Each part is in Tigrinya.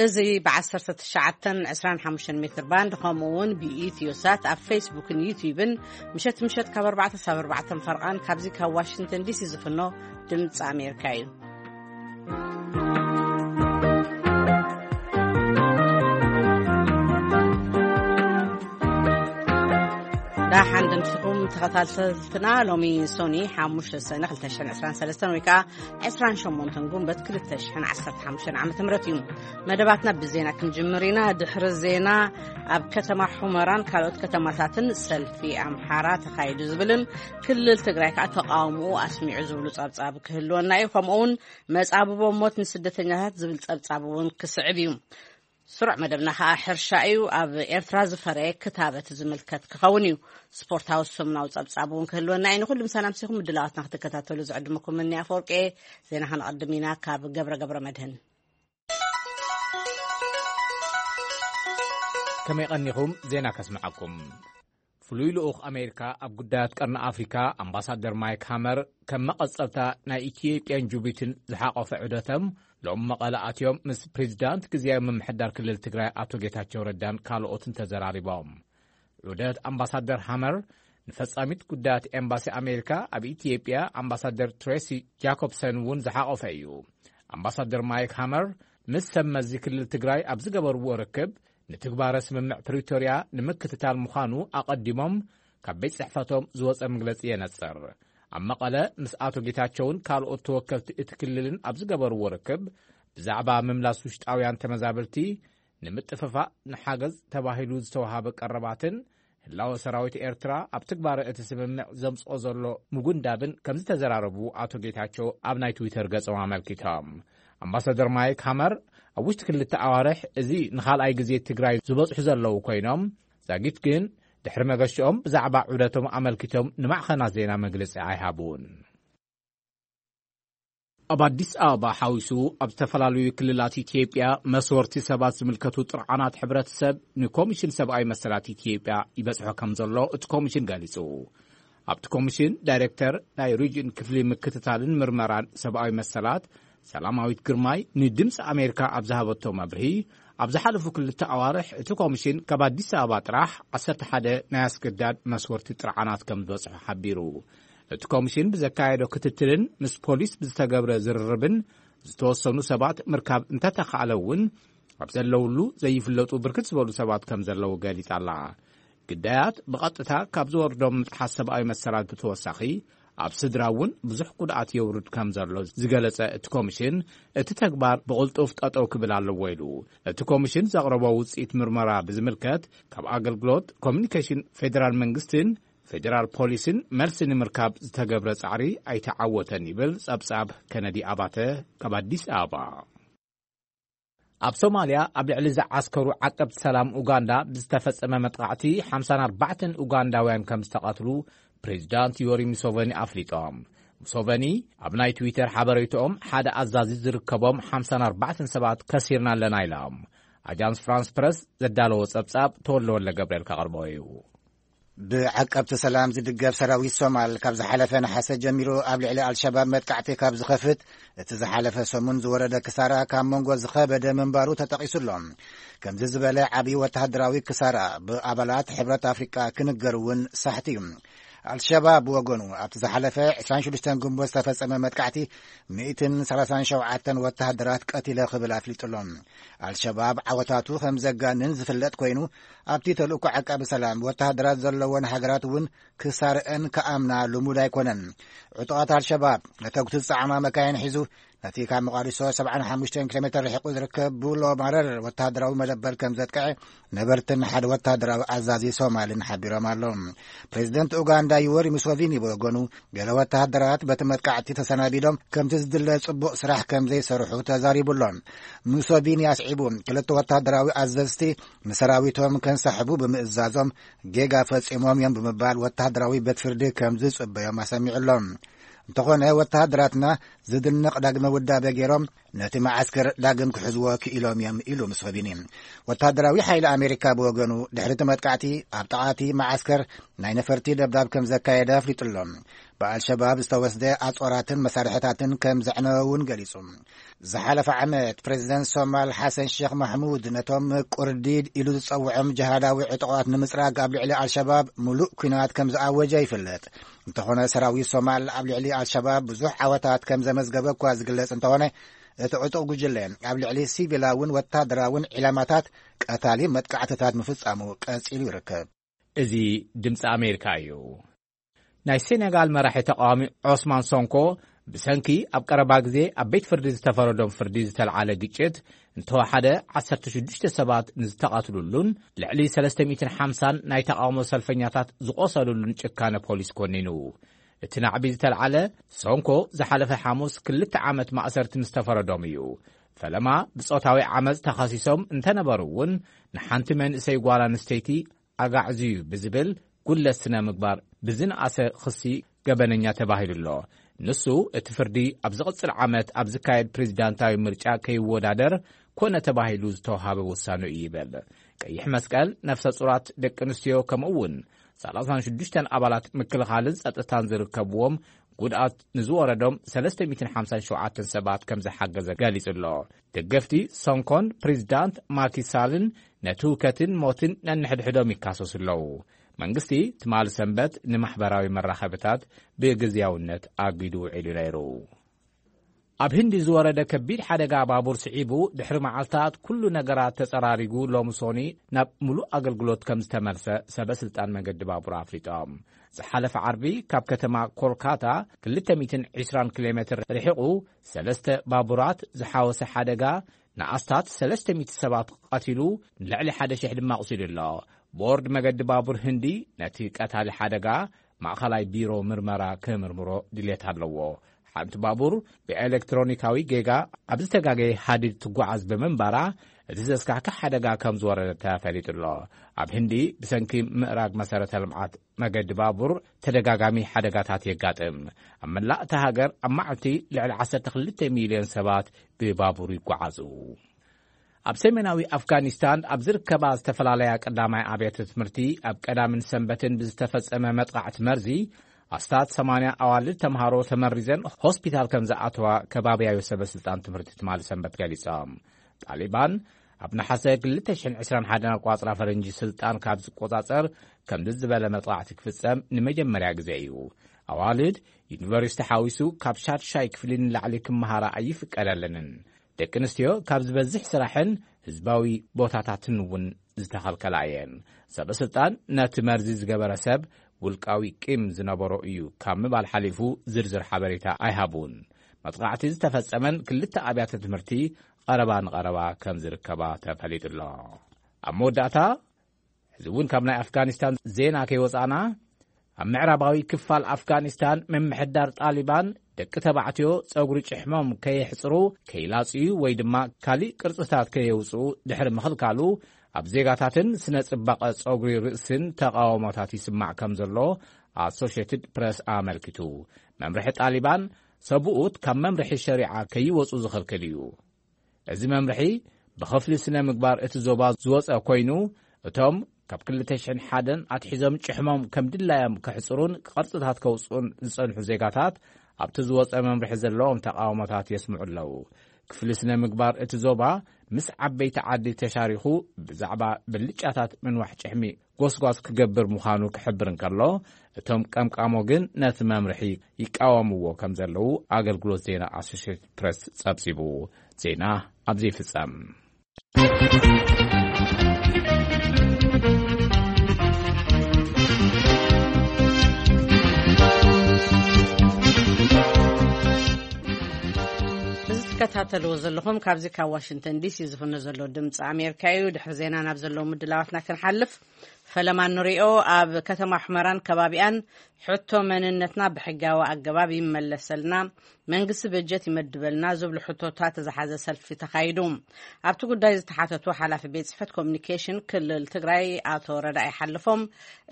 እዚ ብ19 25 ሜትር ባንድ፣ ከምኡ እውን ብኢትዮ ሳት ኣብ ፌስቡክን ዩቲዩብን፣ ምሸት ምሸት ካብ ኣርባዕተ ሳብ ኣርባዕተ ፈርቓን፣ ካብዚ ካብ ዋሽንግተን ዲሲ ዝፍኖ ድምፂ ኣሜሪካ እዩ። ዳሓን ደምሲኹም ተኸታተልትና። ሎሚ ሶኒ ሓሙሽተ ሰነ ክልተ ሽሕን ዕስራን ሰለስተን ወይ ከዓ ዕስራን ሸሞንተን ጉንበት ክልተ ሽሕን ዓሰርተ ሓሙሽተን ዓመተ ምህረት እዩ። መደባትና ብዜና ክንጅምር ኢና። ድሕሪ ዜና፣ ኣብ ከተማ ሑመራን ካልኦት ከተማታትን ሰልፊ ኣምሓራ ተኻይዱ ዝብልን ክልል ትግራይ ከዓ ተቃውሞኡ ኣስሚዑ ዝብሉ ጸብጻብ ክህልወና እዩ። ከምኡ እውን መጻብቦ ሞት ንስደተኛታት ዝብል ጸብጻብ እውን ክስዕብ እዩ። ስሩዕ መደብና ከዓ ሕርሻ እዩ። ኣብ ኤርትራ ዝፈረየ ክታበት ዝምልከት ክኸውን እዩ። ስፖርታዊ ሰሙናዊ ጸብጻብ እውን ክህልወና እዩ። ንኹሉ ምሳና ምሲኹም ምድላዋትና ክትከታተሉ ዝዕድመኩም እኒ ኣፈወርቂ። ዜና ከነቐድም ኢና ካብ ገብረ ገብረ መድህን። ከመይ ቀኒኹም? ዜና ከስምዓኩም። ፍሉይ ልኡኽ ኣሜሪካ ኣብ ጉዳያት ቀርኒ ኣፍሪካ ኣምባሳደር ማይክ ሃመር፣ ከም መቐጸልታ ናይ ኢትዮጵያን ጅቡቲን ዝሓቆፈ ዑደቶም፣ ሎም መቐለ ኣትዮም ምስ ፕሬዚዳንት ግዝያዊ ምምሕዳር ክልል ትግራይ ኣቶ ጌታቸው ረዳን ካልኦትን ተዘራሪቦም። ዑደት ኣምባሳደር ሃመር ንፈጻሚት ጉዳያት ኤምባሲ ኣሜሪካ ኣብ ኢትዮጵያ ኣምባሳደር ትሬሲ ጃኮብሰን እውን ዝሓቆፈ እዩ። ኣምባሳደር ማይክ ሃመር ምስ ሰብ መዚ ክልል ትግራይ ኣብ ዝገበርዎ ርክብ፣ ንትግባረ ስምምዕ ፕሪቶርያ ንምክትታል ምዃኑ ኣቐዲሞም ካብ ቤት ጽሕፈቶም ዝወጸ መግለጺ የነጽር። ኣብ መቐለ ምስ ኣቶ ጌታቸውን ካልኦት ተወከልቲ እቲ ክልልን ኣብ ዝገበርዎ ርክብ፣ ብዛዕባ ምምላስ ውሽጣውያን ተመዛበልቲ፣ ንምጥፍፋእ ንሓገዝ ተባሂሉ ዝተዋሃበ ቀረባትን ህላወ ሰራዊት ኤርትራ ኣብ ትግባረ እቲ ስምምዕ ዘምጽኦ ዘሎ ምጉንዳብን ከም ዝተዘራረቡ ኣቶ ጌታቸው ኣብ ናይ ትዊተር ገጾም ኣመልኪቶም። ኣምባሳደር ማይክ ሃመር፣ ኣብ ውሽጢ ክልተ ኣዋርሕ እዚ ንኻልኣይ ግዜ ትግራይ ዝበጽሑ ዘለዉ ኮይኖም፣ ዛጊት ግን ድሕሪ መገሽኦም ብዛዕባ ዑደቶም ኣመልኪቶም ንማዕኸናት ዜና መግለጺ ኣይሃቡን። ኣብ ኣዲስ ኣበባ ሓዊሱ ኣብ ዝተፈላለዩ ክልላት ኢትዮጵያ መስወርቲ ሰባት ዝምልከቱ ጥርዓናት ሕብረተሰብ ንኮሚሽን ሰብኣዊ መሰላት ኢትዮጵያ ይበጽሖ ከም ዘሎ እቲ ኮሚሽን ገሊጹ። ኣብቲ ኮሚሽን ዳይሬክተር ናይ ሪጅን ክፍሊ ምክትታልን ምርመራን ሰብኣዊ መሰላት ሰላማዊት ግርማይ ንድምፂ ኣሜሪካ ኣብ ዝሃበቶ መብርሂ፣ ኣብ ዝሓለፉ ክልተ ኣዋርሕ እቲ ኮሚሽን ካብ ኣዲስ ኣበባ ጥራሕ ዓሰርተ ሓደ ናይ ኣስገዳድ መስወርቲ ጥርዓናት ከም ዝበፅሑ ሓቢሩ። እቲ ኮሚሽን ብዘካየዶ ክትትልን ምስ ፖሊስ ብዝተገብረ ዝርርብን ዝተወሰኑ ሰባት ምርካብ እንተተኻእለ እውን፣ ኣብ ዘለውሉ ዘይፍለጡ ብርክት ዝበሉ ሰባት ከም ዘለዉ ገሊጻ ኣላ። ግዳያት ብቐጥታ ካብ ዝወርዶም ምጥሓስ ሰብኣዊ መሰላት ብተወሳኺ፣ ኣብ ስድራ እውን ብዙሕ ጉድኣት የውርድ ከም ዘሎ ዝገለጸ እቲ ኮሚሽን፣ እቲ ተግባር ብቕልጡፍ ጠጠው ክብል ኣለዎ ኢሉ። እቲ ኮሚሽን ዘቕረቦ ውጽኢት ምርመራ ብዝምልከት፣ ካብ ኣገልግሎት ኮሚኒኬሽን ፌደራል መንግስትን ፌደራል ፖሊስን መልሲ ንምርካብ ዝተገብረ ጻዕሪ ኣይተዓወተን ይብል ጸብጻብ ከነዲ ኣባተ ካብ ኣዲስ ኣበባ። ኣብ ሶማልያ ኣብ ልዕሊ ዝዓስከሩ ዓቀብቲ ሰላም ኡጋንዳ ብዝተፈጸመ መጥቃዕቲ ሓምሳን ኣርባዕተን ኡጋንዳውያን ከም ዝተቐትሉ ፕሬዚዳንት ዮሪ ሙሶቨኒ ኣፍሊጦም። ሙሶቨኒ ኣብ ናይ ትዊተር ሓበሬትኦም፣ ሓደ ኣዛዚ ዝርከቦም ሓምሳን ኣርባዕተን ሰባት ከሲርና ኣለና ኢሎም። ኣጃንስ ፍራንስ ፕረስ ዘዳለዎ ጸብጻብ ተወልደ ወልደ ገብርኤል ከቕርቦ እዩ። ብዓቀብቲ ሰላም ዝድገፍ ሰራዊት ሶማል ካብ ዝሓለፈ ነሓሰ ጀሚሩ ኣብ ልዕሊ ኣልሸባብ መጥቃዕቲ ካብ ዝኸፍት፣ እቲ ዝሓለፈ ሰሙን ዝወረደ ክሳራ ካብ መንጎ ዝኸበደ ምንባሩ ተጠቒሱ ኣሎ። ከምዚ ዝበለ ዓብዪ ወተሃደራዊ ክሳራ ብኣባላት ሕብረት ኣፍሪቃ ክንገር እውን ሳሕቲ እዩ። ኣልሸባብ ብወገኑ፣ ኣብቲ ዝሓለፈ ዕስራን ሽዱሽተን ግንቦት ዝተፈጸመ መጥቃዕቲ ሚእትን ሰላሳን ሸውዓተን ወተሃደራት ቀቲለ ክብል ኣፍሊጡ ኣሎ። ኣልሸባብ ዓወታቱ ከም ዘጋንን ዝፍለጥ ኮይኑ፣ ኣብቲ ተልእኮ ዓቃቢ ሰላም ወተሃደራት ዘለወን ሃገራት እውን ክሳርአን ክኣምና ልሙድ ኣይኮነን። ዕጡቓት ኣልሸባብ ነተጉቲ ዝጸዓና መካይን ሒዙ፣ ነቲ ካብ መቓዲሾ ሰብዓን ሓሙሽተን ኪሎ ሜትር ርሒቑ ዝርከብ ቡሎ ማረር ወተሃደራዊ መደበር ከም ዘጥቅዐ ነበርትን ሓደ ወተሃደራዊ ኣዛዚ ሶማልን ሓቢሮም ኣለዉ። ፕሬዚደንት ኡጋንዳ ዩወሪ ሙሶቪኒ ብወገኑ፣ ገለ ወተሃደራት በቲ መጥቃዕቲ ተሰናቢዶም፣ ከምቲ ዝድለ ጽቡቕ ስራሕ ከም ዘይሰርሑ ተዛሪቡ ኣሎ። ሙሶቪኒ ኣስዒቡ፣ ክልተ ወተሃደራዊ ኣዘዝቲ ንሰራዊቶም ከንሳሕቡ ብምእዛዞም ጌጋ ፈጺሞም እዮም ብምባል ወተሃደራዊ ቤት ፍርዲ ከም ዝጽበዮም ኣሰሚዑ ኣሎ። እንተኾነ፣ ወተሃደራትና ዝድነቕ ዳግመ ውዳበ ገይሮም ነቲ መዓስከር ዳግም ክሕዝዎ ክኢሎም እዮም ኢሉ ሙስኸቢኒ። ወታደራዊ ሓይሊ ኣሜሪካ ብወገኑ ድሕሪ እቲ መጥቃዕቲ ኣብ ጥቓቲ መዓስከር ናይ ነፈርቲ ደብዳብ ከም ዘካየደ ኣፍሊጡ ኣሎ። ብኣልሸባብ ዝተወስደ ኣጽዋራትን መሳርሕታትን ከም ዘዕነወ እውን ገሊጹ። ዝሓለፈ ዓመት ፕሬዚደንት ሶማል ሓሰን ሼክ ማሕሙድ ነቶም ቁርዲድ ኢሉ ዝጸውዖም ጅሃዳዊ ዕጡቓት ንምጽራግ ኣብ ልዕሊ ኣልሸባብ ሙሉእ ኲናት ከም ዝኣወጀ ይፍለጥ። እንተኾነ ሰራዊት ሶማል ኣብ ልዕሊ ኣልሸባብ ብዙሕ ዓወታት ከም ዘመዝገበ እኳ ዝግለጽ እንተኾነ፣ እቲ ዕጡቕ ጉጅለ ኣብ ልዕሊ ሲቪላውን ወታደራውን ዒላማታት ቀታሊ መጥቃዕትታት ምፍጻሙ ቀጺሉ ይርከብ። እዚ ድምፂ ኣሜሪካ እዩ። ናይ ሴኔጋል መራሒ ተቃዋሚ ዖስማን ሶንኮ ብሰንኪ ኣብ ቀረባ ግዜ ኣብ ቤት ፍርዲ ዝተፈረዶም ፍርዲ ዝተልዓለ ግጭት እንተወሓደ ዓሰርተ ሽዱሽተ ሰባት ንዝተቓትሉሉን ልዕሊ ሰለስተ ሚእትን ሓምሳን ናይ ተቃውሞ ሰልፈኛታት ዝቆሰሉሉን ጭካነ ፖሊስ ኮኒኑ። እቲ ናዕቢ ዝተልዓለ ሶንኮ ዝሓለፈ ሓሙስ ክልተ ዓመት ማእሰርቲ ምስ ተፈረዶም እዩ። ፈለማ ብጾታዊ ዓመፅ ተኸሲሶም እንተነበሩ እውን ንሓንቲ መንእሰይ ጓል ኣንስተይቲ ኣጋዕዝዩ ብዝብል ጉድለት ስነ ምግባር ብዝነኣሰ ክሲ ገበነኛ ተባሂሉ ኣሎ። ንሱ እቲ ፍርዲ ኣብ ዝቕጽል ዓመት ኣብ ዝካየድ ፕሬዚዳንታዊ ምርጫ ከይወዳደር ኮነ ተባሂሉ ዝተዋሃበ ውሳነ እዩ ይብል። ቀይሕ መስቀል ነፍሰ ጹራት ደቂ ኣንስትዮ ከምኡ እውን ሰላሳን ሽዱሽተን ኣባላት ምክልኻልን ጸጥታን ዝርከብዎም ጉድኣት ንዝወረዶም ሰለስተ ሚእትን ሓምሳን ሸውዓተን ሰባት ከም ዝሓገዘ ገሊጹ ኣሎ። ደገፍቲ ሶንኮን ፕሬዚዳንት ማኪሳልን ነቲ ህውከትን ሞትን ነንሕድሕዶም ይካሰሱ ኣለዉ። መንግስቲ ትማሊ ሰንበት ንማሕበራዊ መራኸብታት ብግዝያውነት ኣጊዱ ውዒሉ ነይሩ። ኣብ ህንዲ ዝወረደ ከቢድ ሓደጋ ባቡር ስዒቡ ድሕሪ መዓልታት ኩሉ ነገራት ተጸራሪጉ ሎሚ ሶኒ ናብ ሙሉእ ኣገልግሎት ከም ዝተመልሰ ሰበ ስልጣን መገዲ ባቡር ኣፍሊጦም። ዝሓለፈ ዓርቢ ካብ ከተማ ኮልካታ ክልተ ሚእትን ዕስራን ኪሎ ሜትር ርሒቑ ሰለስተ ባቡራት ዝሓወሰ ሓደጋ ንኣስታት ሰለስተ ሚእቲ ሰባት ቀቲሉ ንልዕሊ ሓደ ሽሕ ድማ ኣቑሲሉ ኣሎ። ቦርድ መገዲ ባቡር ህንዲ ነቲ ቀታሊ ሓደጋ ማእኸላይ ቢሮ ምርመራ ክምርምሮ ድሌት ኣለዎ። ሓንቲ ባቡር ብኤሌክትሮኒካዊ ጌጋ ኣብ ዝተጋገየ ሃዲድ ትጓዓዝ ብምንባራ እቲ ዘስካሕክሕ ሓደጋ ከም ዝወረደ ተፈሊጡ ኣሎ። ኣብ ህንዲ ብሰንኪ ምእራግ መሰረተ ልምዓት መገዲ ባቡር ተደጋጋሚ ሓደጋታት የጋጥም። ኣብ መላእ እታ ሃገር ኣብ መዓልቲ ልዕሊ ዓሰርተ ክልተ ሚልዮን ሰባት ብባቡር ይጓዓዙ። ኣብ ሰሜናዊ ኣፍጋኒስታን ኣብ ዝርከባ ዝተፈላለያ ቀዳማይ ኣብያተ ትምህርቲ ኣብ ቀዳምን ሰንበትን ብዝተፈጸመ መጥቃዕቲ መርዚ ኣስታት ሰማንያ ኣዋልድ ተምሃሮ ተመሪዘን ሆስፒታል ከም ዝኣተዋ ከባብያዊ ሰበ ስልጣን ትምህርቲ ትማሊ ሰንበት ገሊጾም። ጣሊባን ኣብ ነሓሰ ክልተ ሽሕን ዕስራን ሓደን ኣቋጽራ ፈረንጂ ስልጣን ካብ ዝቆጻጸር ከምዚ ዝበለ መጥቃዕቲ ክፍጸም ንመጀመርያ ግዜ እዩ። ኣዋልድ ዩኒቨርሲቲ ሓዊሱ ካብ ሻድሻይ ክፍሊ ንላዕሊ ክመሃራ ኣይፍቀደለንን። ደቂ ኣንስትዮ ካብ ዝበዝሕ ስራሕን ህዝባዊ ቦታታትን እውን ዝተኸልከላ እየን። ሰበ ስልጣን ነቲ መርዚ ዝገበረ ሰብ ውልቃዊ ቂም ዝነበሮ እዩ ካብ ምባል ሓሊፉ ዝርዝር ሓበሬታ ኣይሃቡን። መጥቃዕቲ ዝተፈጸመን ክልተ ኣብያተ ትምህርቲ ቀረባ ንቐረባ ከም ዝርከባ ተፈሊጡ ኣሎ። ኣብ መወዳእታ፣ እዚ እውን ካብ ናይ ኣፍጋኒስታን ዜና ከይወጻና፣ ኣብ ምዕራባዊ ክፋል ኣፍጋኒስታን ምምሕዳር ጣሊባን ደቂ ተባዕትዮ ጸጉሪ ጭሕሞም ከየሕጽሩ፣ ከይላጽዩ ወይ ድማ ካሊእ ቅርጽታት ከየውጽኡ ድሕሪ ምኽልካሉ፣ ኣብ ዜጋታትን ስነ ጽባቐ ጸጉሪ ርእስን ተቓውሞታት ይስማዕ ከም ዘሎ ኣሶሽየትድ ፕረስ ኣመልኪቱ። መምርሒ ጣሊባን ሰብኡት ካብ መምርሒ ሸሪዓ ከይወጹ ዝኽልክል እዩ። እዚ መምርሒ ብኽፍሊ ስነ ምግባር እቲ ዞባ ዝወጸ ኮይኑ፣ እቶም ካብ ክልተ ሽሕን ሓደን ኣትሒዞም ጭሕሞም ከም ድላዮም ከሕጽሩን ቅርጽታት ከውጽኡን ዝጸንሑ ዜጋታት ኣብቲ ዝወጸ መምርሒ ዘለዎም ተቃውሞታት የስምዑ ኣለዉ። ክፍሊ ስነ ምግባር እቲ ዞባ ምስ ዓበይቲ ዓዲ ተሻሪኹ ብዛዕባ ብልጫታት ምንዋሕ ጭሕሚ ጎስጓስ ክገብር ምዃኑ ክሕብር እንከሎ፣ እቶም ቀምቃሞ ግን ነቲ መምርሒ ይቃወምዎ ከም ዘለዉ ኣገልግሎት ዜና ኣሶሽየትድ ፕረስ ጸብጺቡ። ዜና ኣብዚ ይፍጸም። እዚ ትከታተልዎ ዘለኹም ካብዚ ካብ ዋሽንግተን ዲሲ ዝፍኖ ዘሎ ድምፂ ኣሜሪካ እዩ። ድሕሪ ዜና ናብ ዘለዉ ምድላዋትና ክንሓልፍ፣ ፈለማ ንሪኦ። ኣብ ከተማ ሑመራን ከባቢኣን ሕቶ መንነትና ብሕጋዊ ኣገባብ ይመለሰልና፣ መንግስቲ በጀት ይመድበልና ዝብሉ ሕቶታት ዝሓዘ ሰልፊ ተኻይዱ። ኣብቲ ጉዳይ ዝተሓተቱ ሓላፊ ቤት ጽሕፈት ኮሚኒኬሽን ክልል ትግራይ ኣቶ ረዳኢ ሓለፎም፣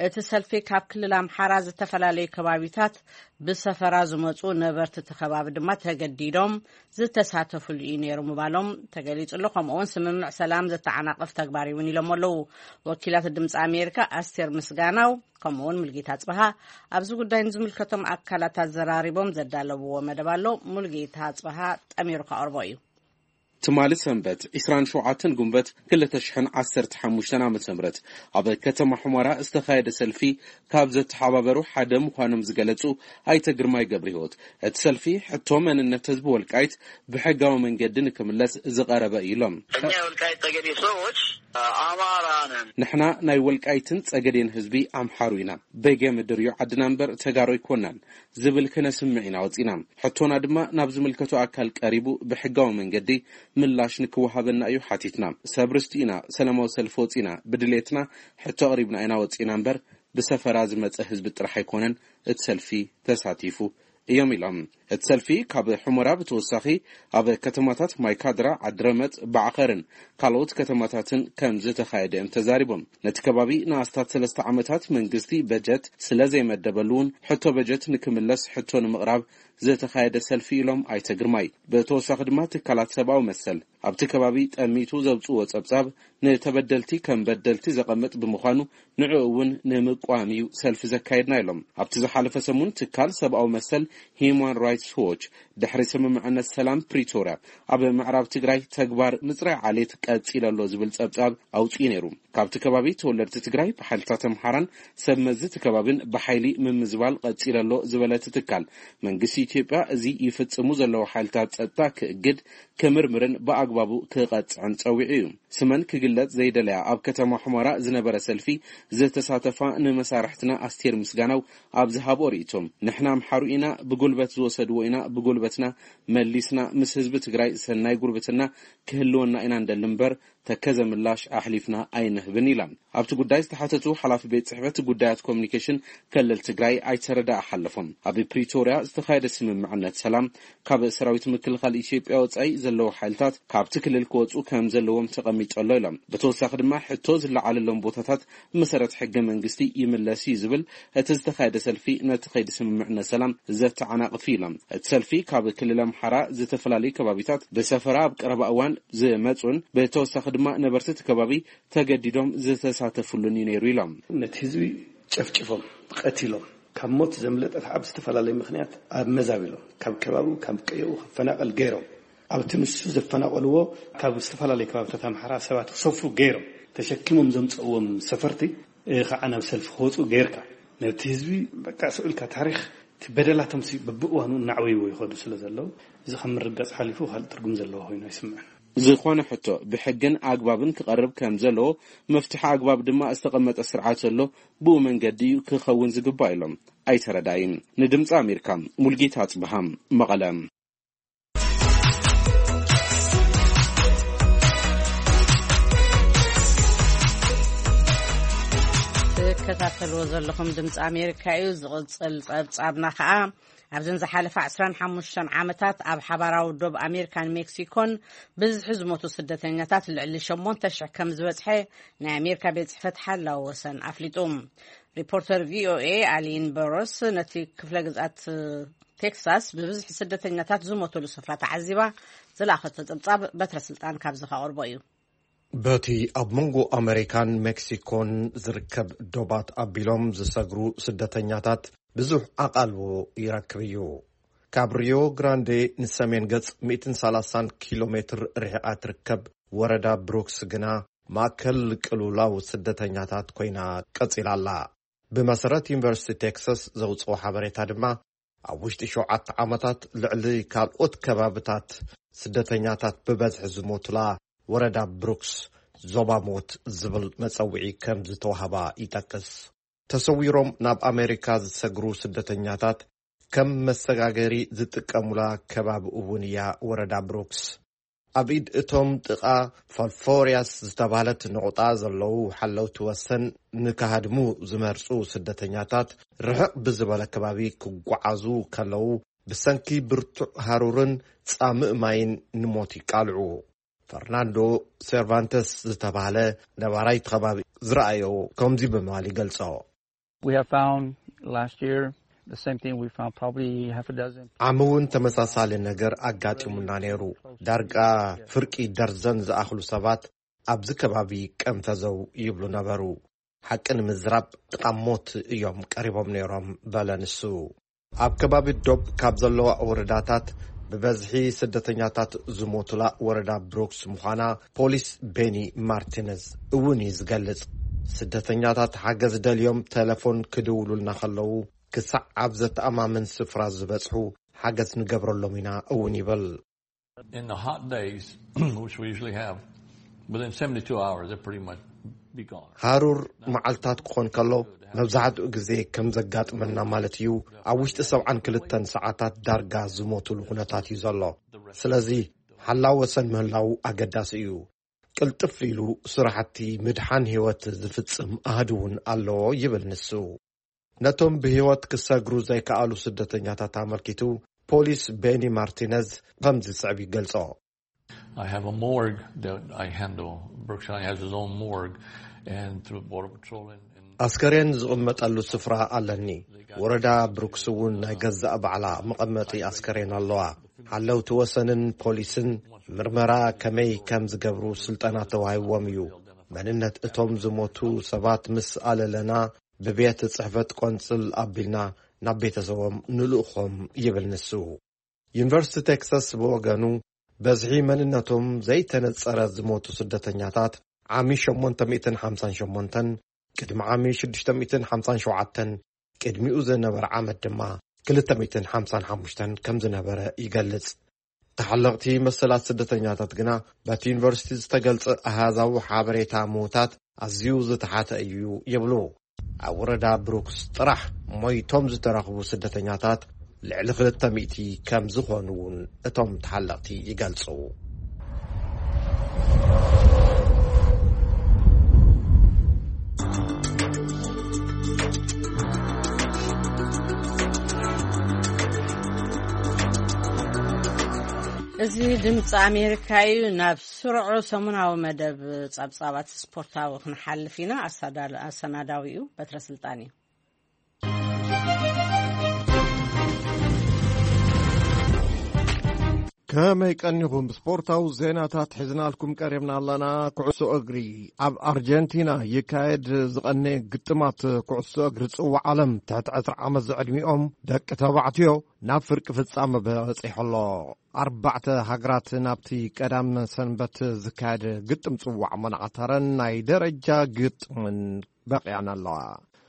እቲ ሰልፊ ካብ ክልል ኣምሓራ ዝተፈላለዩ ከባቢታት ብሰፈራ ዝመጹ ነበርቲ እቲ ከባቢ ድማ ተገዲዶም ዝተሳተፍሉ እዩ ነይሩ ምባሎም ተገሊጹ ኣሎ። ከምኡ እውን ስምምዕ ሰላም ዘተዓናቕፍ ተግባር እውን ኢሎም ኣለዉ። ወኪላት ድምፂ ኣሜሪካ ኣስቴር ምስጋናው ከምኡ እውን ሙልጌታ ኣጽበሃ ኣብዚ ጉዳይ ንዝምልከቶም ኣካላት ኣዘራሪቦም ዘዳለውዎ መደብ ኣሎ። ሙልጌታ ኣጽበሃ ጠሚሩ ከቕርቦ እዩ። ትማሊ ሰንበት ዕስራን ሸውዓተን ጉንበት ክልተ ሽሕን ዓሰርተ ሓሙሽተን ዓመተ ምህረት ኣብ ከተማ ሑመራ ዝተኻየደ ሰልፊ ካብ ዘተሓባበሩ ሓደ ምዃኖም ዝገለጹ ኣይተ ግርማይ ገብረ ህይወት፣ እቲ ሰልፊ ሕቶ መንነት ህዝቢ ወልቃይት ብሕጋዊ መንገዲ ንክምለስ ዝቐረበ እዩ ኢሎም። እኛ የወልቃይት ጠገዴ ሰዎች አማራ ነን። ንሕና ናይ ወልቃይትን ጸገዴን ህዝቢ ኣምሓሩ ኢና። በጌ ምድር እዩ ዓድና እምበር ተጋሩ ኣይኮናን ዝብል ክነስምዕ ኢና ወጺና። ሕቶና ድማ ናብ ዝምልከቶ ኣካል ቀሪቡ ብሕጋዊ መንገዲ ምላሽ ንክወሃበና እዩ ሓቲትና። ሰብ ርስቲ ኢና ሰላማዊ ሰልፊ ወጺና። ብድሌትና ሕቶ ኣቕሪብና ኢና ወጺና እምበር ብሰፈራ ዝመጸ ህዝቢ ጥራሕ ኣይኮነን እቲ ሰልፊ ተሳቲፉ እዮም ኢሎም። እቲ ሰልፊ ካብ ሑመራ ብተወሳኺ ኣብ ከተማታት ማይካድራ፣ ዓድረመጽ፣ ባዕኸርን ካልኦት ከተማታትን ከም ዝተኻየደ እዮም ተዛሪቦም። ነቲ ከባቢ ንኣስታት ሰለስተ ዓመታት መንግስቲ በጀት ስለ ዘይመደበሉ እውን ሕቶ በጀት ንክምለስ ሕቶ ንምቕራብ ዝተኻየደ ሰልፊ ኢሎም ኣይተ ግርማይ። ብተወሳኺ ድማ ትካላት ሰብኣዊ መሰል ኣብቲ ከባቢ ጠሚቱ ዘውፅዎ ጸብጻብ ንተበደልቲ ከም በደልቲ ዘቐምጥ ብምዃኑ ንዕኡ እውን ንምቋም እዩ ሰልፊ ዘካየድና ኢሎም። ኣብቲ ዝሓለፈ ሰሙን ትካል ሰብኣዊ መሰል ሂዩማን ራይትስ ዎች ድሕሪ ስምምዕነት ሰላም ፕሪቶርያ ኣብ ምዕራብ ትግራይ ተግባር ምፅራይ ዓሌት ቀፂለ ኣሎ ዝብል ጸብጻብ ኣውፅኡ ነይሩ። ካብቲ ከባቢ ተወለድቲ ትግራይ ብሓይልታት ኣምሓራን ሰብ መዚ እቲ ከባቢን ብሓይሊ ምምዝባል ቀፂለ ኣሎ ዝበለ እቲ ትካል፣ መንግስቲ ኢትዮጵያ እዚ ይፍፅሙ ዘለዉ ሓይልታት ጸጥታ ክእግድ፣ ክምርምርን ብኣግባቡ ክቐፅዕን ጸዊዑ እዩ። ስመን ክግለጽ ዘይደለያ ኣብ ከተማ ሑመራ ዝነበረ ሰልፊ ዝተሳተፋ ንመሳርሕትና ኣስቴር ምስጋናው ኣብ ዝሃብኦ ርእይቶ፣ ንሕና ኣምሓሩ ኢና፣ ብጉልበት ዝወሰድዎ ኢና ብጉልበትና መሊስና ምስ ህዝቢ ትግራይ ሰናይ ጉርብትና ክህልወና ኢና እንደሊ እምበር ተከዘ ምላሽ ኣሕሊፍና ኣይንህብን ኢላ። ኣብቲ ጉዳይ ዝተሓተቱ ሓላፊ ቤት ጽሕፈት ጉዳያት ኮሚኒኬሽን ክልል ትግራይ ኣይተ ረዳኢ ሓለፎም፣ ኣብ ፕሪቶርያ ዝተኻየደ ስምምዕነት ሰላም ካብ ሰራዊት ምክልኻል ኢትዮጵያ ወጻኢ ዘለዉ ሓይልታት ካብቲ ክልል ክወጹ ከም ዘለዎም ተቐሚጡ ኣሎ ኢሎም። ብተወሳኺ ድማ ሕቶ ዝለዓለሎም ቦታታት ብመሰረት ሕገ መንግስቲ ይምለስ እዩ ዝብል እቲ ዝተኻየደ ሰልፊ ነቲ ከይዲ ስምምዕነት ሰላም ዘተዓናቕፍ እዩ ኢሎም። እቲ ሰልፊ ካብ ክልል ኣምሓራ ዝተፈላለዩ ከባቢታት ብሰፈራ ኣብ ቀረባ እዋን ዝመጹን ብተወሳኺ ድማ ነበርቲ እቲ ከባቢ ተገዲዶም ዝተሳተፉሉን እዩ ነይሩ ኢሎም። ነቲ ህዝቢ ጨፍጭፎም፣ ቀቲሎም፣ ካብ ሞት ዘምለጠ ከዓ ብዝተፈላለየ ምኽንያት ኣብ መዛቢሎም ካብ ከባቢኡ ካብ ቀየኡ ክፈናቐል ገይሮም። ኣብቲ ንሱ ዘፈናቐልዎ ካብ ዝተፈላለዩ ከባብታት ኣምሓራ ሰባት ክሰፍሩ ገይሮም፣ ተሸኪሞም ዘምፀእዎም ሰፈርቲ፣ እ፣ ከዓ ናብ ሰልፊ ክወፁ ገይርካ፣ ነቲ ህዝቢ በቃ ስዑልካ ታሪኽ እቲ በደላቶም ሲ በብእዋኑ እናዕበይዎ ይኸዱ ስለ ዘለዉ፣ እዚ ካብ ምርጋፅ ሓሊፉ ካልእ ትርጉም ዘለዎ ኮይኑ ኣይስምዕን። ዝኾነ ሕቶ ብሕግን ኣግባብን ክቐርብ ከም ዘለዎ፣ መፍትሒ ኣግባብ ድማ ዝተቐመጠ ስርዓት ዘሎ ብኡ መንገዲ እዩ ክኸውን ዝግባእ ኢሎም ኣይተ ረዳኢን። ንድምፂ ኣሜሪካ ሙልጌታ ኣፅብሃ፣ መቐለ። ትከታተልዎ ዘለኹም ድምፂ ኣሜሪካ እዩ። ዝቕፅል ፀብፃብና ከዓ ኣብዘን ዝሓለፋ ዕስራን ሓሙሽተን ዓመታት ኣብ ሓባራዊ ዶብ ኣሜሪካን ሜክሲኮን ብዝሒ ዝሞቱ ስደተኛታት ልዕሊ ሸሞንተ ሽሕ ከም ዝበፅሐ ናይ ኣሜሪካ ቤት ጽሕፈት ሓላዊ ወሰን ኣፍሊጡ። ሪፖርተር ቪ ኦ ኤ ኣሊን በሮስ ነቲ ክፍለ ግዝኣት ቴክሳስ ብብዝሒ ስደተኛታት ዝሞተሉ ስፍራ ተዓዚባ ዝለኣኸቶ ጸብጻብ በትረ ስልጣን ካብዚ ከቕርቦ እዩ። በቲ ኣብ መንጎ ኣመሪካን ሜክሲኮን ዝርከብ ዶባት ኣቢሎም ዝሰግሩ ስደተኛታት ብዙሕ ኣቓልቦ ይረክብ እዩ። ካብ ሪዮ ግራንዴ ንሰሜን ገጽ ሚእትን ሰላሳን ኪሎ ሜትር ርሒቓ ትርከብ ወረዳ ብሩክስ ግና ማእከል ቅልውላው ስደተኛታት ኮይና ቀጺላ ኣላ። ብመሰረት ዩኒቨርሲቲ ቴክሳስ ዘውጽኦ ሓበሬታ ድማ፣ ኣብ ውሽጢ ሸውዓተ ዓመታት ልዕሊ ካልኦት ከባብታት ስደተኛታት ብበዝሒ ዝሞቱላ ወረዳ ብሩክስ ዞባ ሞት ዝብል መጸውዒ ከም ዝተዋህባ ይጠቅስ። ተሰዊሮም ናብ ኣሜሪካ ዝሰግሩ ስደተኛታት ከም መሰጋገሪ ዝጥቀሙላ ከባቢ እውን እያ ወረዳ ብሩክስ። ኣብ ኢድ እቶም ጥቓ ፋልፎርያስ ዝተባህለት ነቑጣ ዘለዉ ሓለውቲ ወሰን ንክሃድሙ ዝመርጹ ስደተኛታት ርሕቕ ብዝበለ ከባቢ ክጓዓዙ ከለዉ ብሰንኪ ብርቱዕ ሃሩርን ጻምእ ማይን ንሞት ይቃልዑ። ፈርናንዶ ሴርቫንተስ ዝተባህለ ነባራይ እቲ ከባቢ ዝረኣዮ ከምዚ ብምባል ይገልጾ። We have found last year The same thing we found, probably half a dozen. ዓሚ እውን ተመሳሳሊ ነገር ኣጋጢሙና ነይሩ። ዳርጋ ፍርቂ ደርዘን ዝኣኽሉ ሰባት ኣብዚ ከባቢ ቀንፈዘው ይብሉ ነበሩ። ሓቂ ንምዝራብ ጥቓ ሞት እዮም ቀሪቦም ነይሮም፣ በለ ንሱ። ኣብ ከባቢ ዶብ ካብ ዘለዋ ወረዳታት ብበዝሒ ስደተኛታት ዝሞቱላ ወረዳ ብሩክስ ምዃና ፖሊስ ቤኒ ማርቲነዝ እውን እዩ ዝገልጽ። ስደተኛታት ሓገዝ ደልዮም ቴሌፎን ክድውሉልና ከለዉ፣ ክሳዕ ኣብ ዘተኣማምን ስፍራ ዝበጽሑ ሓገዝ ንገብረሎም ኢና እውን ይብል። In the hot days, which we usually have, within seventy-two hours, they're pretty much be gone. ሃሩር መዓልታት ክኾን ከሎ፣ መብዛሕትኡ ግዜ ከም ዘጋጥመና ማለት እዩ፣ ኣብ ውሽጢ ሰብዓን ክልተን ሰዓታት ዳርጋ ዝሞቱሉ ኩነታት እዩ ዘሎ። ስለዚ ሓላው ወሰን ምህላው ኣገዳሲ እዩ። ቅልጥፍ ኢሉ ስራሕቲ ምድሓን ህይወት ዝፍጽም ኣሃዱ እውን ኣለዎ፣ ይብል ንሱ። ነቶም ብህይወት ክሰግሩ ዘይከኣሉ ስደተኛታት ኣመልኪቱ፣ ፖሊስ ቤኒ ማርቲነዝ ከምዚ ዝስዕብ ይገልጾ። I have a morgue that I handle. Brooks County has his own morgue, and through Border Patrol and, and ኣስከሬን ዝቕመጠሉ ስፍራ ኣለኒ። ወረዳ ብሩክስ እውን ናይ ገዛእ ባዕላ መቐመጢ ኣስከሬን ኣለዋ። ሓለውቲ ወሰንን ፖሊስን ምርመራ ከመይ ከም ዝገብሩ ስልጠና ተዋሂብዎም እዩ። መንነት እቶም ዝሞቱ ሰባት ምስ ኣለለና፣ ብቤት ጽሕፈት ቆንጽል ኣቢልና ናብ ቤተሰቦም ንልእኾም፣ ይብል ንሱ። ዩኒቨርሲቲ ቴክሳስ ብወገኑ፣ በዝሒ መንነቶም ዘይተነጸረ ዝሞቱ ስደተኛታት ዓሚ ሸሞንተ ሚእትን ሓምሳን ሸሞንተን፣ ቅድሚ ዓሚ ሽዱሽተ ሚእትን ሓምሳን ሸውዓተን፣ ቅድሚኡ ዝነበረ ዓመት ድማ ክልተ ሚእትን ሓምሳን ሓሙሽተን ከም ዝነበረ ይገልጽ። ተሓለቕቲ መሰላት ስደተኛታት ግና፣ በቲ ዩኒቨርሲቲ ዝተገልጸ ኣሃዛዊ ሓበሬታ ምዉታት ኣዝዩ ዝተሓተ እዩ ይብሉ። ኣብ ወረዳ ብሩክስ ጥራሕ ሞይቶም ዝተረኽቡ ስደተኛታት ልዕሊ ክልተ ሚእቲ ከም ዝኾኑ እውን እቶም ተሓለቕቲ ይገልጹ። እዚ ድምፂ ኣሜሪካ እዩ። ናብ ስሩዕ ሰሙናዊ መደብ ጸብጻባት ስፖርታዊ ክንሓልፍ ኢና። ኣሳዳ- ኣሰናዳዊኡ በትረ ስልጣን እዩ። ከመይ ቀኒኹም? ስፖርታዊ ዜናታት ሒዝናልኩም ቀሪብና ኣለና። ኩዕሶ እግሪ፣ ኣብ ኣርጀንቲና ይካየድ ዝቐነ ግጥማት ኩዕሶ እግሪ ጽዋዕ ዓለም፣ ትሕቲ ዕስራ ዓመት ዝዕድሚኦም ደቂ ተባዕትዮ ናብ ፍርቂ ፍጻመ በጺሑ ኣሎ። ኣርባዕተ ሃገራት ናብቲ ቀዳም ሰንበት ዝካየድ ግጥም ጽዋዕ መናዕተረን ናይ ደረጃ ግጥምን በቒዐን ኣለዋ።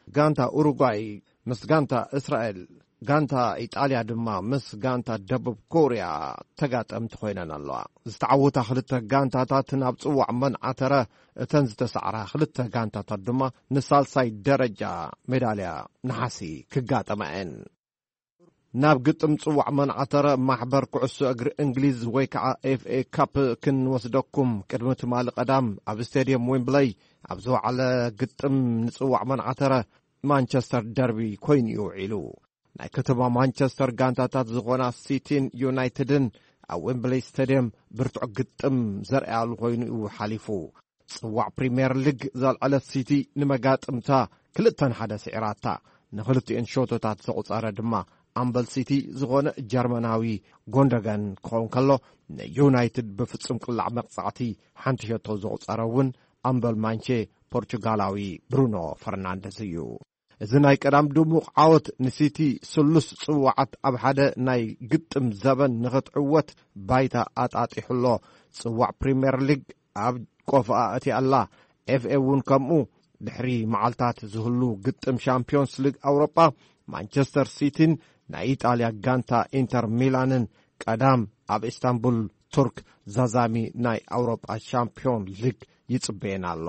ጋንታ ኡሩጓይ ምስ ጋንታ እስራኤል፣ ጋንታ ኢጣልያ ድማ ምስ ጋንታ ደቡብ ኮርያ ተጋጠምቲ ኮይነን ኣለዋ። ዝተዓወታ ክልተ ጋንታታት ናብ ጽዋዕ መናዕተረ፣ እተን ዝተሳዕራ ክልተ ጋንታታት ድማ ንሳልሳይ ደረጃ ሜዳልያ ነሓሲ ክጋጠማ እየን። ናብ ግጥም ጽዋዕ መናዕተረ ማሕበር ኩዕሶ እግሪ እንግሊዝ ወይ ከዓ ኤፍ ኤ ካፕ ክንወስደኩም። ቅድሚ ትማሊ ቀዳም ኣብ ስቴድየም ዌምብለይ ኣብ ዝወዓለ ግጥም ንጽዋዕ መናዕተረ ማንቸስተር ደርቢ ኮይኑ እዩ ውዒሉ። ናይ ከተማ ማንቸስተር ጋንታታት ዝኾና ሲቲን ዩናይትድን ኣብ ዌምብለይ ስቴድየም ብርቱዕ ግጥም ዘርእያሉ ኮይኑ እዩ ሓሊፉ። ጽዋዕ ፕሪምየር ሊግ ዘልዐለት ሲቲ ንመጋጥምታ ክልተ ንሓደ ስዒራታ። ንኽልቲኤን ሾቶታት ዘቑጸረ ድማ ኣምበል ሲቲ ዝኾነ ጀርመናዊ ጎንደገን ክኸውን ከሎ፣ ንዩናይትድ ብፍጹም ቅላዕ መቕጻዕቲ ሓንቲ ሸቶ ዘቑጸረ እውን ኣምበል ማንቼ ፖርቹጋላዊ ብሩኖ ፈርናንደዝ እዩ። እዚ ናይ ቀዳም ድሙቕ ዓወት ንሲቲ ስሉስ ጽዋዓት ኣብ ሓደ ናይ ግጥም ዘበን ንኽትዕወት ባይታ ኣጣጢሑ ኣሎ። ጽዋዕ ፕሪምየር ሊግ ኣብ ቆፎኣ ኣትያ ኣላ። ኤፍ ኤ እውን ከምኡ። ድሕሪ መዓልታት ዝህሉ ግጥም ሻምፒዮንስ ሊግ ኣውሮጳ፣ ማንቸስተር ሲቲን ናይ ኢጣልያ ጋንታ ኢንተር ሚላንን ቀዳም ኣብ ኢስታንቡል ቱርክ ዛዛሚ ናይ ኣውሮጳ ሻምፒዮን ሊግ ይጽበየን ኣሎ።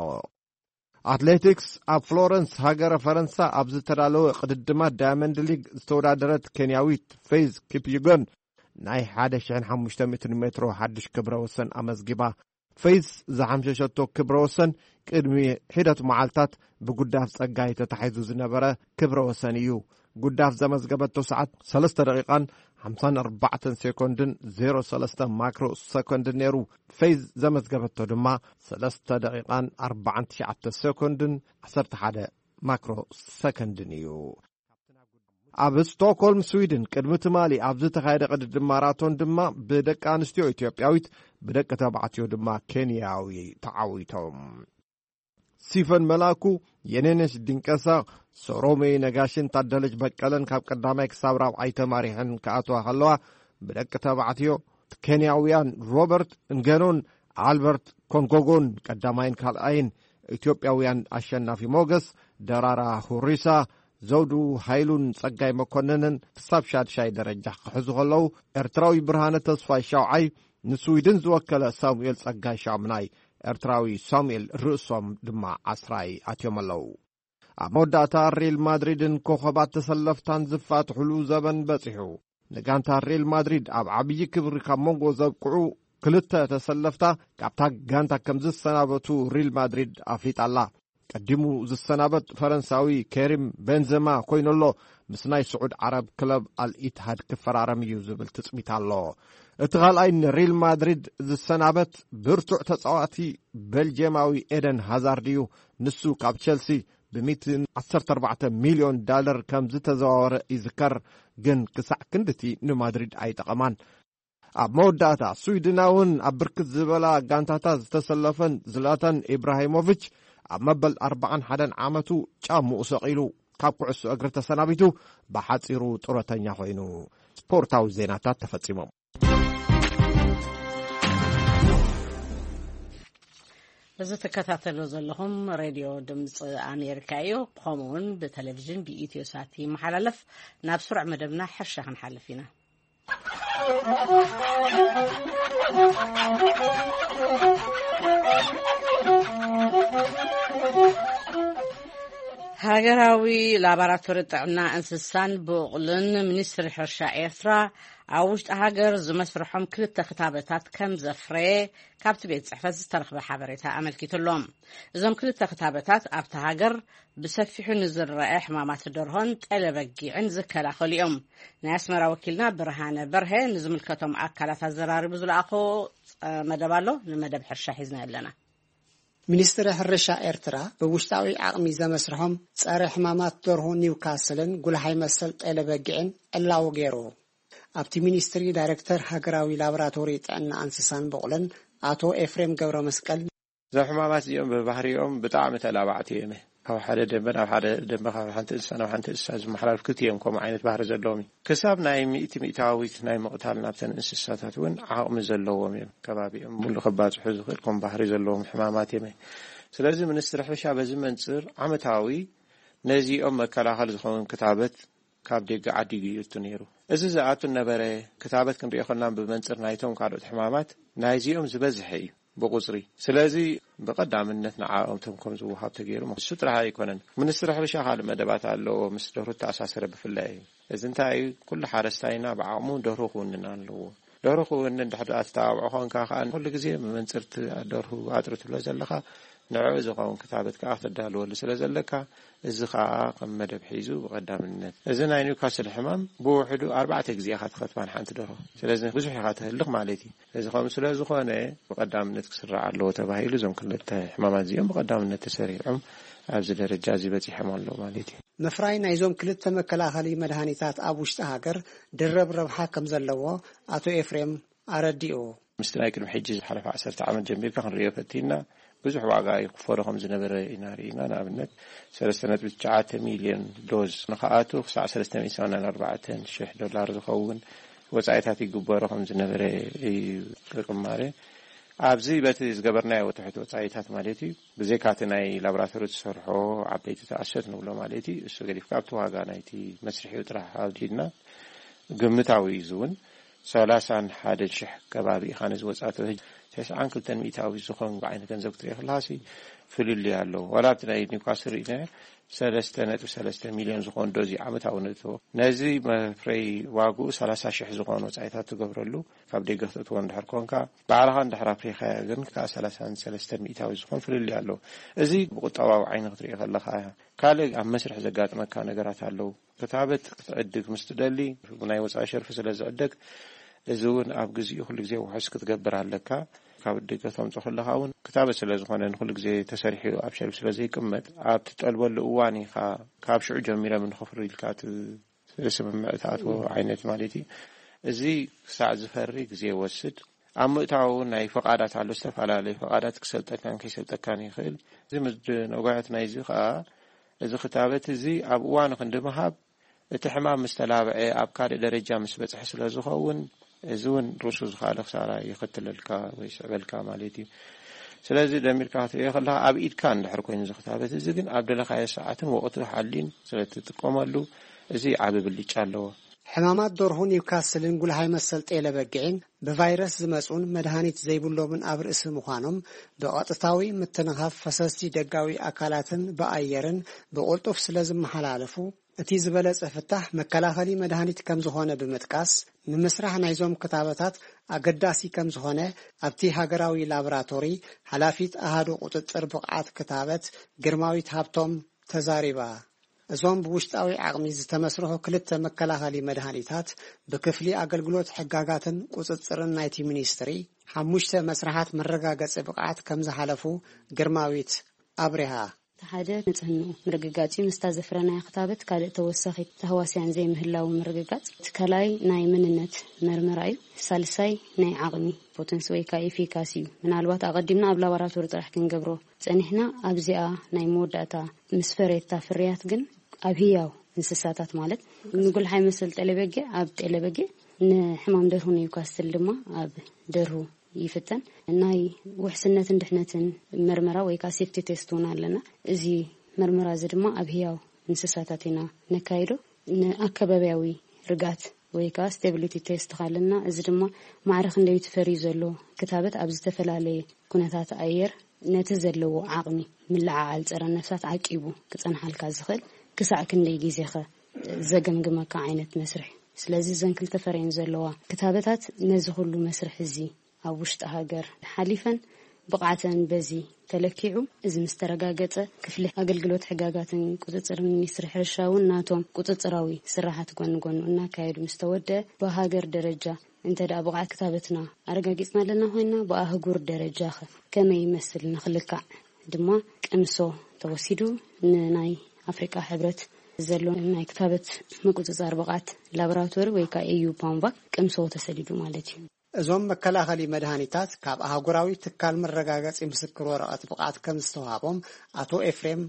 ኣትሌቲክስ፣ ኣብ ፍሎረንስ ሃገረ ፈረንሳ ኣብ ዝተዳለወ ቅድድማት ዳያመንድ ሊግ ዝተወዳደረት ኬንያዊት ፌዝ ኪፕዩጎን ናይ ሓደ ሽሕን ሓሙሽተ ሚእትን ሜትሮ ሓድሽ ክብረ ወሰን ኣመዝጊባ። ፌዝ ዝሓምሸሸቶ ክብረ ወሰን ቅድሚ ሒደት መዓልታት ብጉዳፍ ጸጋይ ተታሒዙ ዝነበረ ክብረ ወሰን እዩ። ጉዳፍ ዘመዝገበቶ ሰዓት ሰለስተ ደቂቓን ሓምሳን ኣርባዕተን ሴኮንድን ዜሮ ሰለስተ ማክሮ ሰኮንድን ነይሩ። ፌዝ ዘመዝገበቶ ድማ ሰለስተ ደቂቓን ኣርባዓን ትሽዓተ ሴኮንድን ዓሰርተ ሓደ ማክሮ ሰኮንድን እዩ። ኣብ ስቶክሆልም ስዊድን ቅድሚ ትማሊ ኣብ ዝተኻየደ ቅድድም ማራቶን ድማ ብደቂ ኣንስትዮ ኢትዮጵያዊት፣ ብደቂ ተባዕትዮ ድማ ኬንያዊ ተዓዊቶም። ሲፈን መላኩ፣ የኔነሽ ድንቀሳ፣ ሰሮሜ ነጋሽን ታደለች በቀለን ካብ ቀዳማይ ክሳብ ራብዓይ ተማሪሐን ክኣትዋ ከለዋ፣ ብደቂ ተባዕትዮ ኬንያውያን ሮበርት እንገኖን ኣልበርት ኮንጎጎን ቀዳማይን ካልኣይን፣ ኢትዮጵያውያን ኣሸናፊ ሞገስ፣ ደራራ ሁሪሳ፣ ዘውዱ ሃይሉን ጸጋይ መኮንንን ክሳብ ሻድሻይ ደረጃ ክሕዙ ከለዉ፣ ኤርትራዊ ብርሃነ ተስፋይ ሻውዓይ፣ ንስዊድን ዝወከለ ሳሙኤል ጸጋይ ሻምናይ፣ ኤርትራዊ ሳሙኤል ርእሶም ድማ ዓስራይ ኣትዮም ኣለዉ። ኣብ መወዳእታ ሪል ማድሪድን ኮኸባት ተሰለፍታን ዝፋትሕሉ ዘበን በጺሑ። ንጋንታ ሪል ማድሪድ ኣብ ዓብዪ ክብሪ ካብ መንጎ ዘብቅዑ ክልተ ተሰለፍታ ካብታ ጋንታ ከም ዝሰናበቱ ሪል ማድሪድ ኣፍሊጣ ኣላ። ቀዲሙ ዝሰናበት ፈረንሳዊ ኬሪም ቤንዘማ ኮይኑ ኣሎ፣ ምስ ናይ ስዑድ ዓረብ ክለብ ኣልኢትሃድ ክፈራረም እዩ ዝብል ትጽቢት ኣሎ። እቲ ካልኣይ ንሪል ማድሪድ ዝሰናበት ብርቱዕ ተጻዋቲ ቤልጅየማዊ ኤደን ሃዛርድ እዩ። ንሱ ካብ ቸልሲ ብ ሚእትን ዓሰርተ ኣርባዕተ ሚልዮን ዳለር ከም ዝተዘዋወረ ይዝከር፣ ግን ክሳዕ ክንድቲ ንማድሪድ ኣይጠቐማን። ኣብ መወዳእታ፣ ስዊድናውን ኣብ ብርክት ዝበላ ጋንታታት ዝተሰለፈን ዝላታን ኢብራሂሞቪች፣ ኣብ መበል ኣርባዓን ሓደን ዓመቱ ጫምኡ ሰቒሉ፣ ካብ ኩዕሶ እግሪ ተሰናቢቱ፣ ብሓጺሩ ጡረተኛ ኮይኑ። ስፖርታዊ ዜናታት ተፈጺሞም። እዚ ትከታተሉ ዘለኹም ሬድዮ ድምፂ ኣሜሪካ እዩ። ከምኡ እውን ብቴሌቪዥን ብኢትዮ ሳት ይመሓላለፍ። ናብ ስሩዕ መደብና ሕርሻ ክንሓልፍ ኢና። ሃገራዊ ላቦራቶሪ ጥዕና እንስሳን ብቑልን ሚኒስትሪ ሕርሻ ኤርትራ ኣብ ውሽጢ ሃገር ዝመስርሖም ክልተ ክታበታት ከም ዘፍረየ ካብቲ ቤት ጽሕፈት ዝተረኽበ ሓበሬታ ኣመልኪቱ ኣሎ። እዞም ክልተ ክታበታት ኣብቲ ሃገር ብሰፊሑ ንዝረአ ሕማማት ደርሆን ጤለ በጊዕን ዝከላኸሉ እዮም። ናይ ኣስመራ ወኪልና ብርሃነ በርሀ ንዝምልከቶም ኣካላት ኣዘራሪቡ ዝለኣኾ ጸ-፣ መደብ ኣሎ። ንመደብ ሕርሻ ሒዝና ኣለና። ሚኒስትሪ ሕርሻ ኤርትራ ብውሽጣዊ ዓቕሚ ዘመስርሖም ጸረ ሕማማት ደርሆ ኒውካስልን ጉልሓይ መሰል ጤለ በጊዕን ዕላዊ ገይሩ። ኣብቲ ሚኒስትሪ ዳይሬክተር ሃገራዊ ላቦራቶሪ ጥዕና ኣንስሳን በቑልን ኣቶ ኤፍሬም ገብረ መስቀል፣ እዞም ሕማማት እዚኦም ብባህሪኦም ብጣዕሚ ተላባዕቲ እዮም። ካብ ሓደ ደንበ ናብ ሓደ ደንበ፣ ካብ ሓንቲ እንስሳ ናብ ሓንቲ እንስሳ ዝመሓላለፍ ክልቲኦም ከምኡ ዓይነት ባህሪ ዘለዎም እዩ። ክሳብ ናይ ሚእቲ ሚእታዊት ናይ ምቕታል ናብተን እንስሳታት እውን ዓቕሚ ዘለዎም እዮም። ከባቢኦም ሙሉ ከባጽሑ ዝኽእል ከም ባህሪ ዘለዎም ሕማማት እዮም። ስለዚ ሚኒስትሪ ሕርሻ በዚ መንጽር ዓመታዊ ነዚኦም መከላኸሊ ዝኸውን ክታበት ካብ ደገ ዓዲጉ እዩ እቱ ነይሩ። እዚ ዝኣቱ ነበረ። ክታበት ክንሪኦ ከለና ብመንጽር ናይቶም ካልኦት ሕማማት ናይዚኦም ዝበዝሐ እዩ ብቁጽሪ። ስለዚ ብቐዳምነት ንዓኦም እቶም ከም ዝወሃብ ተገይሩ። እሱ ጥራሕ ኣይኮነን። ሚኒስትሪ ሕርሻ ካልእ መደባት ኣለዎ፣ ምስ ደርሁ ተኣሳሰረ ብፍላይ እዩ። እዚ እንታይ እዩ? ኩሉ ሓረስታይና ብዓቕሙ ደርሁ ክውንን ኣለዎ። ደርሁ ክውንን ድሕሪ ኣተባብዖ ኮንካ ከኣ ኩሉ ግዜ ብመንጽርቲ ደርሁ ኣጥሪ ትብሎ ዘለኻ፣ ንዕኡ ዝኸውን ክታበት ከኣ ክተዳልወሉ ስለ ዘለካ፣ እዚ ከኣ ከም መደብ ሒዙ ብቐዳምነት። እዚ ናይ ኒውካስል ሕማም ብውሕዱ ኣርባዕተ ግዜ ኢኻ ትኸትባ ንሓንቲ ደርሆ። ስለዚ ብዙሕ ኢኻ ተህልኽ ማለት እዩ። እዚ ከምኡ ስለ ዝኾነ ብቐዳምነት ክስራዕ ኣለዎ ተባሂሉ፣ እዞም ክልተ ሕማማት እዚኦም ብቐዳምነት ተሰሪዖም ኣብዚ ደረጃ እዚ በጺሖም ኣለዉ ማለት እዩ። ምፍራይ ናይዞም ክልተ መከላኸሊ መድሃኒታት ኣብ ውሽጢ ሃገር ድርብ ረብሓ ከም ዘለዎ ኣቶ ኤፍሬም ኣረዲኡ። ምስቲ ናይ ቅድሚ ሕጂ ዝሓለፈ ዓሰርተ ዓመት ጀሚርካ ክንሪኦ ፈቲና፣ ብዙሕ ዋጋ ይኽፈሎ ከም ዝነበረ ኢና ርኢና። ንኣብነት፣ ሰለስተ ነጥቢ ትሽዓተ ሚልዮን ዶዝ ንኽኣቱ ክሳዕ ሰለስተ ሚእቲ ሰማንያን ኣርባዕተን ሽሕ ዶላር ዝኸውን ወጻኢታት ይግበሮ ከም ዝነበረ እዩ ቅማረ። ኣብዚ በቲ ዝገበርናዮ ትሑት ወጻኢታት ማለት እዩ፣ ብዘይካ እቲ ናይ ላቦራቶሪ ዝሰርሖ ዓበይቲ ተኣሰት ንብሎ ማለት እዩ፣ እሱ ገዲፍካ ኣብቲ ዋጋ ናይቲ መስርሒኡ ጥራሕ ኣውዲድና፣ ግምታዊ እዩ። እዚ እውን ሰላሳን ሓደን ሽሕ ከባቢ ኢኻ ነዚ ወጻኢ ተበሂ-፣ ተስዓን ክልተን ሚእታዊ ዝኾን ዓይነት ገንዘብ ክትርኢ ከለኻሲ ፍልልይ ኣለዎ። ዋላ ኣብቲ ናይ ኒውካስል ርኢና ሰለስተ ነጥቢ ሰለስተ ሚልዮን ዝኾን ዶዝ እዩ ዓመታዊ ነእትዎ። ነዚ መፍረይ ዋግኡ ሰላሳ ሽሕ ዝኾን ወጻኢታት ትገብረሉ፣ ካብ ደገ ክተእትዎ እንድሕር ኮንካ፣ ባዕልኻ እንድሕር ኣፍሪኻዮ ግን ከኣ ሰላሳን ሰለስተን ሚእታዊ ዝኾን ፍልልይ ኣለዎ። እዚ ብቁጠባዊ ዓይኒ ክትርኢ ከለኻ፣ ካልእ ኣብ መስርሕ ዘጋጥመካ ነገራት ኣለዉ። ክታበት ክትዕድግ ምስ ትደሊ፣ ናይ ወጻኢ ሸርፊ ስለ ዝዕደግ፣ እዚ እውን ኣብ ግዜኡ ኩሉ ግዜ ውሑስ ክትገብር ኣለካ። ካብ ደገ ተምጾ ከለኻ እውን ክታበት ስለ ዝኾነ ንኹሉ ግዜ ተሰሪሑ ኣብ ሸልፍ ስለ ዘይቅመጥ፣ ኣብ ትጠልበሉ እዋን ኢኻ ካብ ሽዑ ጀሚሮም ንኸፍሩ ኢልካ ት-፣ ስምምዕ ትኣትዎ ዓይነት ማለት እዩ። እዚ ክሳዕ ዝፈሪ ግዜ ይወስድ። ኣብ ምእታው እውን ናይ ፈቓዳት ኣሎ፣ ዝተፈላለዩ ፈቓዳት ክሰልጠካን ከይሰልጠካን ይኽእል። እዚ ምስ ነጓየት ናይዚ ከዓ፣ እዚ ክታበት እዚ ኣብ እዋኑ ክንዲ ምሃብ፣ እቲ ሕማም ምስ ተላብዐ ኣብ ካልእ ደረጃ ምስ በጽሐ ስለ ዝኸውን፣ እዚ እውን ርእሱ ዝኸኣለ ክሳራ ይኸትለልካ ወይ ይስዕበልካ ማለት እዩ። ስለዚ ደሚርካ ክትርእዮ ከለኻ፣ ኣብ ኢድካ እንድሕር ኮይኑ እዚ ክታበት እዚ ግን፣ ኣብ ደለኻዮ ሰዓትን ወቕቱ ሓሊን ስለ ትጥቀመሉ፣ እዚ ዓቢ ብልጫ ኣለዎ። ሕማማት ደርሁ ኒውካስልን ጉልሃይ መሰል ጤለ በጊዕን ብቫይረስ ዝመጹን መድሃኒት ዘይብሎምን ኣብ ርእሲ ምዃኖም፣ ብቐጥታዊ ምትንኻፍ ፈሰስቲ ደጋዊ ኣካላትን ብኣየርን ብቕልጡፍ ስለ ዝመሓላለፉ፣ እቲ ዝበለጸ ፍታሕ መከላኸሊ መድሃኒት ከም ዝኾነ ብምጥቃስ፣ ንምስራሕ ናይዞም ክታበታት ኣገዳሲ ከም ዝኾነ ኣብቲ ሃገራዊ ላቦራቶሪ ሓላፊት ኣሃዱ ቁጽጽር ብቕዓት ክታበት ግርማዊት ሃብቶም ተዛሪባ። እዞም ብውሽጣዊ ዓቕሚ ዝተመስርሑ ክልተ መከላኸሊ መድሃኒታት ብክፍሊ ኣገልግሎት ሕጋጋትን ቁጽጽርን ናይቲ ሚኒስትሪ ሓሙሽተ መስርሓት መረጋገጺ ብቕዓት ከም ዝሓለፉ ግርማዊት ኣብሪሃ። እቲ ሓደ ንጽህንኡ ምርግጋጽ እዩ። ምስታ ዘፍረናያ ክታበት ካልእ ተወሳኺ ተህዋስያን ዘይምህላዉ ምርግጋጽ። እቲ ካልኣይ ናይ መንነት መርመራ እዩ። ሳልሳይ ናይ ዓቕሚ ፖተንሲ ወይ ከዓ ኤፊካሲ እዩ። ምናልባት ኣቐዲምና ኣብ ላቦራቶሪ ጥራሕ ክንገብሮ ጸኒሕና፣ ኣብዚኣ ናይ መወዳእታ ምስ ፈረየታ ፍርያት ግን ኣብ ህያው እንስሳታት ማለት ንጉልሓይ መሰል ጤለበጊዕ ኣብ ጤለበጊዕ፣ ንሕማም ደርሁ ኒውካስትል ድማ ኣብ ደርሁ ይፍተን። ናይ ውሕስነትን ድሕነትን መርመራ ወይ ከዓ ሴፍቲ ቴስት እውን ኣለና። እዚ መርመራ እዚ ድማ ኣብ ህያው እንስሳታት ኢና ነካይዶ። ንኣከባቢያዊ ርጋት ወይ ከዓ ስቴቢሊቲ ቴስት ካለና፣ እዚ ድማ ማዕረ ክንደይ ትፈርዩ ዘሎ ክታበት ኣብ ዝተፈላለየ ኩነታት ኣየር ነቲ ዘለዎ ዓቕሚ ምልዓዓል ጸረ ነፍሳት ዓቂቡ ክጸንሓልካ ዝኽእል ክሳዕ ክንደይ ግዜኸ ዘገምግመካ ዓይነት መስርሕ። ስለዚ እዘን ክልተ ፈረየን ዘለዋ ክታበታት ነዚ ኩሉ መስርሕ እዚ ኣብ ውሽጢ ሃገር ሓሊፈን ብቕዓተን በዚ ተለኪዑ፣ እዚ ምስ ተረጋገጸ፣ ክፍሊ ኣገልግሎት ሕጋጋትን ቁጽጽር ሚኒስትሪ ሕርሻ እውን ናቶም ቁጽጽራዊ ስራሓት ጎኒ ጎኑ እናካየዱ ምስ ተወደአ፣ ብሃገር ደረጃ እንተ ደኣ ብቕዓት ክታበትና ኣረጋጊጽና ኣለና ኮይንና፣ ብኣህጉር ደረጃ ኸ ከመይ ይመስል ንኽልካዕ ድማ ቅምሶ ተወሲዱ፣ ንናይ ኣፍሪቃ ሕብረት ዘሎ ናይ ክታበት ምቁጽጻር ብቕዓት ላቦራቶሪ ወይ ከዓ ኤዩ ፓምቫክ ቅምሶ ተሰዲዱ ማለት እዩ። እዞም መከላኸሊ መድሃኒታት ካብ ኣህጉራዊ ትካል መረጋገጺ ምስክር ወረቐት ብቕዓት ከም ዝተዋህቦም ኣቶ ኤፍሬም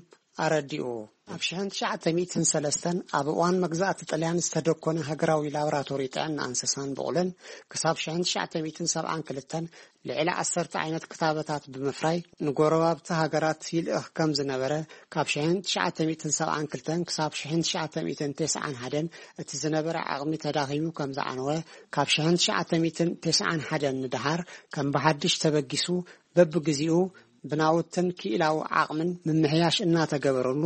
ኣረዲኡ። ኣብ ሽሕን ትሽዓተ ሚእትን ሰለስተን ኣብ እዋን መግዛእቲ ጥልያን ዝተደኮነ ሃገራዊ ላቦራቶሪ ጥዕና እንስሳን ብቑልን፣ ክሳብ ሽሕን ትሽዓተ ሚእትን ሰብዓን ክልተን ልዕሊ ዓሰርተ ዓይነት ክታበታት ብምፍራይ ንጎረባብቲ ሃገራት ይልእኽ ከም ዝነበረ፣ ካብ ሽሕን ትሽዓተ ሚእትን ሰብዓን ክልተን ክሳብ ሽሕን ትሽዓተ ሚእትን ተስዓን ሓደን እቲ ዝነበረ ዓቕሚ ተዳኺሙ ከም ዝዓነወ፣ ካብ ሽሕን ትሽዓተ ሚእትን ተስዓን ሓደን ንደሓር ከም ብሓድሽ ተበጊሱ፣ በብግዜኡ ብናውትን ክኢላዊ ዓቕምን ምምሕያሽ እናተገበረሉ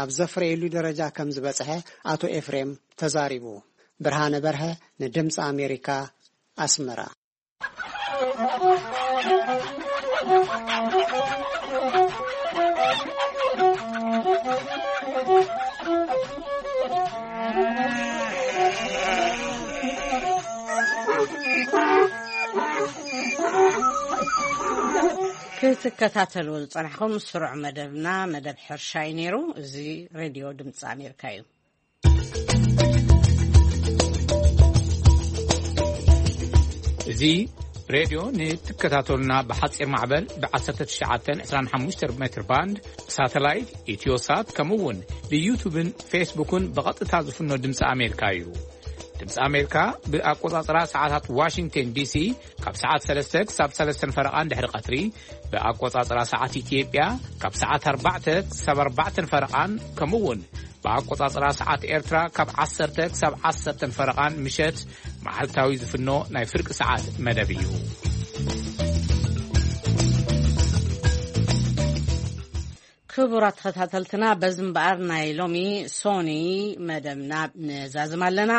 ኣብ ዘፍረየሉ ደረጃ ከም ዝበጽሐ ኣቶ ኤፍሬም ተዛሪቡ። ብርሃነ በርሀ ንድምፂ ኣሜሪካ፣ ኣስመራ። ክትከታተልዎ ዝጸናሕኩም ስሩዕ መደብና መደብ ሕርሻ እዩ ነይሩ። እዚ ሬድዮ ድምፂ ኣሜሪካ እዩ። እዚ ሬድዮ ንትከታተሉና ብሓፂር ማዕበል ብ ዓሰርተ ትሽዓተ ዕስራን ሓሙሽተን ሜትር ባንድ፣ ሳተላይት፣ ኢትዮሳት፣ ከምኡ እውን ብዩቱብን ፌስቡክን ብቐጥታ ዝፍኖ ድምፂ ኣሜሪካ እዩ። ድምፂ ኣሜሪካ ብኣቆፃፅራ ሰዓታት ዋሽንግተን ዲሲ ካብ ሰዓት ሰለስተ ክሳብ ሰለስተን ፈረቓን ድሕሪ ቀትሪ፣ ብኣቆፃፅራ ሰዓት ኢትዮጵያ ካብ ሰዓት ኣርባዕተ ክሳብ ኣርባዕተን ፈረቓን፣ ከምኡ እውን ብኣቆጻጽራ ሰዓት ኤርትራ ካብ ዓሰርተ ክሳብ ዓሰርተን ፈረቓን ምሸት መዓልታዊ ዝፍኖ ናይ ፍርቂ ሰዓት መደብ እዩ። ክቡራት ተኸታተልትና፣ በዚ እምበኣር ናይ ሎሚ ሶኒ መደብና ንዛዝም ኣለና።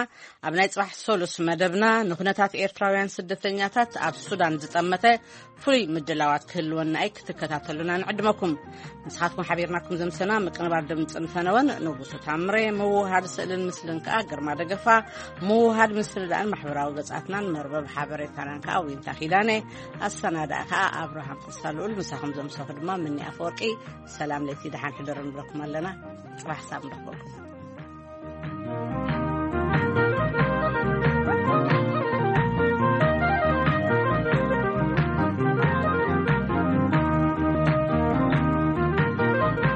ኣብ ናይ ጽባሕ ሰሉስ መደብና ንኩነታት ኤርትራውያን ስደተኛታት ኣብ ሱዳን ዝጠመተ ፍሉይ ምድላዋት ክህልወና እዩ፣ ክትከታተሉና ንዕድመኩም። ንስኻትኩም ሓቢርናኩም ዘምሰና ምቅንባር ድምፅን ፈነወን ንጉሱ ታምሬ፣ ምውሃድ ስእልን ምስልን ከኣ ግርማ ደገፋ፣ ምውሃድ ምስርዳእን ማሕበራዊ ገጻትናን መርበብ ሓበሬታናን ከኣ ዊንታ ኪዳነ፣ ኣሰናዳእ ከኣ ኣብርሃም ተስፋ ልኡል፣ ምሳኹም ዘምሰኹ ድማ ምኒ ኣፈወርቂ። ሰላም ለይቲ ደሓን ሕደሩ ንብለኩም ኣለና። ጽባሕ ሳብ ንረኽበኩም።